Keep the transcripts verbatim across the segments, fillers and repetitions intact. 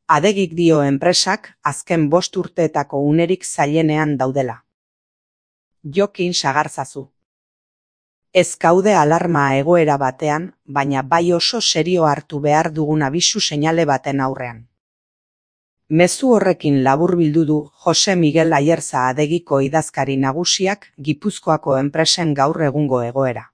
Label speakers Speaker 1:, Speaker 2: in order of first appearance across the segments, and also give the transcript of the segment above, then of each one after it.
Speaker 1: Adegik dio enpresak azken bost urteetako unerik zailenean daudela. Jokin sagarzazu. Ez gaude alarma egoera batean, baina bai oso serio hartu behar dugun abisu seinale baten aurrean. Mezu horrekin laburbildu du Jose Miguel Ayerza Adegiko idazkari nagusiak Gipuzkoako enpresen gaur egungo egoera.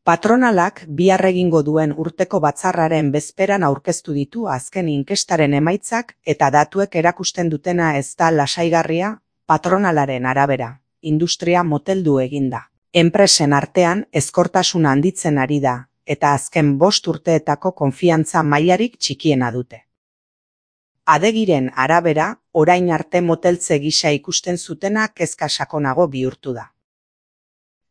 Speaker 1: Patronalak bihar egingo duen urteko batzarraren bezperan aurkeztu ditu azken inkestaren emaitzak eta datuek erakusten dutena ez da lasaigarria, patronalaren arabera, industria moteldu eginda. Enpresen artean ezkortasuna handitzen ari da, eta azken bost urteetako konfiantza mailarik txikiena dute. Adegiren arabera, orain arte moteltze gisa ikusten zutena kezka sakonago bihurtu da.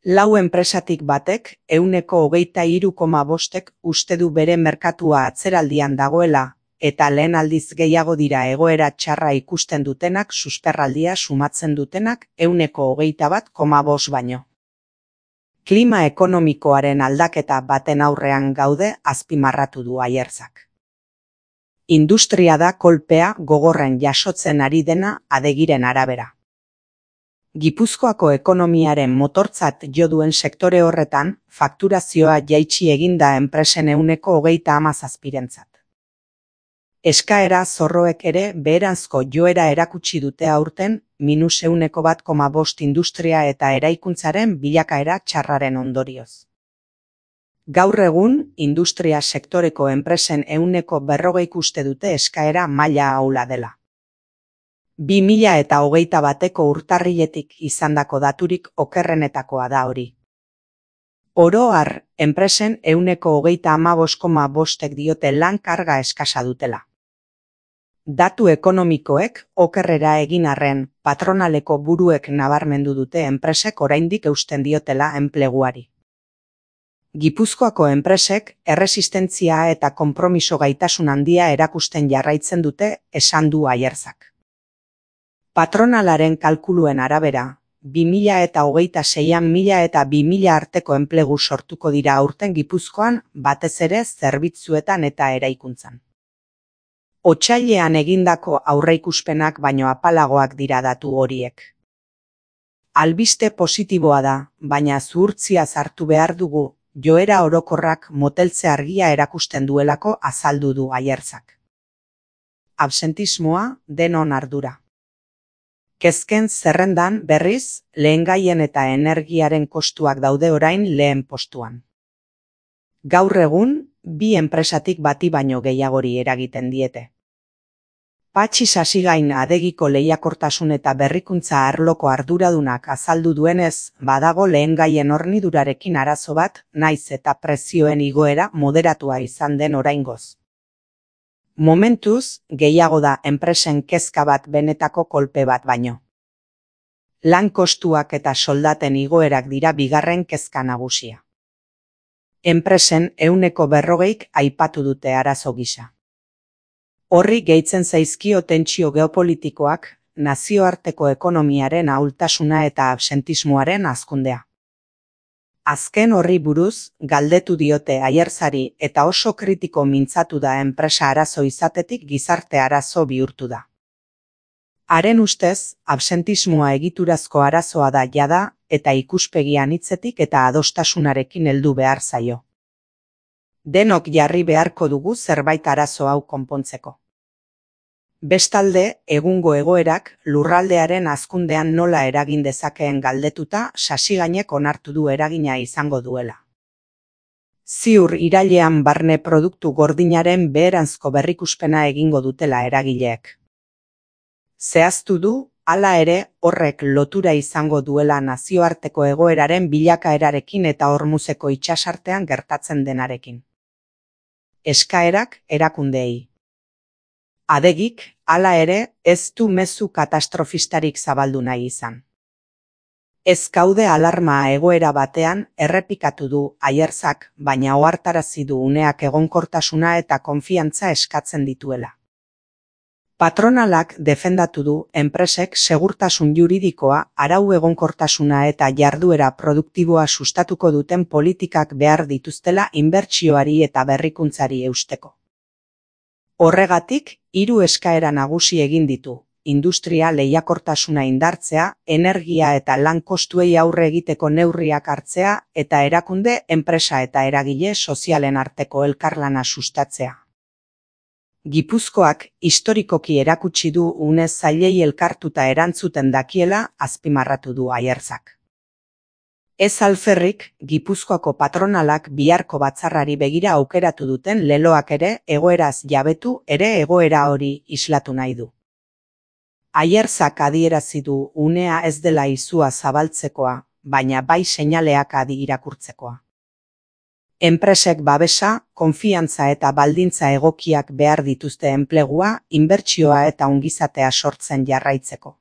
Speaker 1: Lau enpresatik batek, ehuneko hogeita hiru koma bostek uste du bere merkatua atzeraldian dagoela, eta lehen aldiz gehiago dira egoera txarra ikusten dutenak susperraldia sumatzen dutenak ehuneko hogeita bat koma bost baino. Klima ekonomikoaren aldaketa baten aurrean gaude azpimarratu du Ayerzak. Industria da kolpea gogorren jasotzen ari dena Adegiren arabera. Gipuzkoako ekonomiaren motortzat jo duen sektore horretan, fakturazioa jaitsi eginda enpresen ehuneko hogeita hamazazpirentzat. Eskaera zorroek ere beheranzko joera erakutsi dute aurten, minus ehuneko bat koma bost industria eta eraikuntzaren bilakaera txarraren ondorioz. Gaur egun, industria sektoreko enpresen ehuneko berrogeik uste dute eskaera maila ahula dela. Bi mila eta hogeita bateko urtarriletik izandako daturik okerrenetakoa da hori. Oro har, enpresen ehuneko hogeita hamabost koma bostek diote lan karga eskasa dutela. Datu ekonomikoek okerrera egin arren, patronaleko buruek nabarmendu dute enpresek oraindik eusten diotela enpleguari. Gipuzkoako enpresek erresistentzia eta konpromiso gaitasun handia erakusten jarraitzen dute, esan du Ayerzak. Patronalaren kalkuluen arabera, bi mila eta hogeita seian mila eta bi mila arteko enplegu sortuko dira aurten Gipuzkoan, batez ere zerbitzuetan eta eraikuntzan. Otsailean egindako aurreikuspenak baino apalagoak dira datu horiek. Albiste positiboa da, baina zuhurtzia sartu behar dugu, joera orokorrak moteltze argia erakusten duelako azaldu du Ayerzak. Absentismoa denon ardura. Kezken zerrendan berriz, lehengaien eta energiaren kostuak daude orain lehen postuan. Gaur egun, bi enpresatik bati baino gehiagori eragiten diete. Patxi Sasigain Adegiko lehiakortasun eta berrikuntza arloko arduradunak azaldu duenez, badago lehengaien hornidurarekin arazo bat, naiz eta prezioen igoera moderatua izan den oraingoz. Momentuz, gehiago da enpresen kezka bat benetako kolpe bat baino. Lan kostuak eta soldaten igoerak dira bigarren kezka nagusia. Enpresen ehuneko berrogeik aipatu dute arazo gisa. Horri gehitzen zaizkio tentsio geopolitikoak, nazioarteko ekonomiaren ahultasuna eta absentismoaren hazkundea. Azken horri buruz, galdetu diote Ayerzari eta oso kritiko mintzatu da enpresa arazo izatetik gizarte arazo bihurtu da. Haren ustez, absentismoa egiturazko arazoa da jada eta ikuspegi anitzetik eta adostasunarekin heldu behar zaio. Denok jarri beharko dugu zerbait arazo hau konpontzeko. Bestalde, egungo egoerak lurraldearen hazkundean nola eragin dezakeen galdetuta Sasigainek onartu du eragina izango duela. Ziur irailean barne produktu gordinaren beheranzko berrikuspena egingo dutela eragileek. Zehaztu du, hala ere, horrek lotura izango duela nazioarteko egoeraren bilakaerarekin eta Hormuzeko itsasartean gertatzen denarekin. Eskaerak erakundeei. Adegik, hala ere, ez du mezu katastrofistarik zabaldu nahi izan. Ez gaude alarma egoera batean errepikatu du Ayerzak, baina ohartarazi du uneak egonkortasuna eta konfiantza eskatzen dituela. Patronalak defendatu du enpresek segurtasun juridikoa, arau egonkortasuna eta jarduera produktiboa sustatuko duten politikak behar dituztela inbertsioari eta berrikuntzari eusteko. Horregatik, hiru eskaera nagusi egin ditu: industria lehiakortasuna indartzea, energia eta lan kostuei aurre egiteko neurriak hartzea eta erakunde, enpresa eta eragile sozialen arteko elkarlana sustatzea. Gipuzkoak historikoki erakutsi du une zailei elkartuta erantzuten dakiela, azpimarratu du Ayerzak. Ez alferrik, Gipuzkoako patronalak biharko batzarrari begira aukeratu duten leloak ere egoeraz jabetu ere egoera hori islatu nahi du. Ayerzak adierazi du unea ez dela izua zabaltzekoa, baina bai seinaleak adi irakurtzekoa. Enpresek babesa, konfiantza eta baldintza egokiak behar dituzte enplegua, inbertsioa eta ongizatea sortzen jarraitzeko.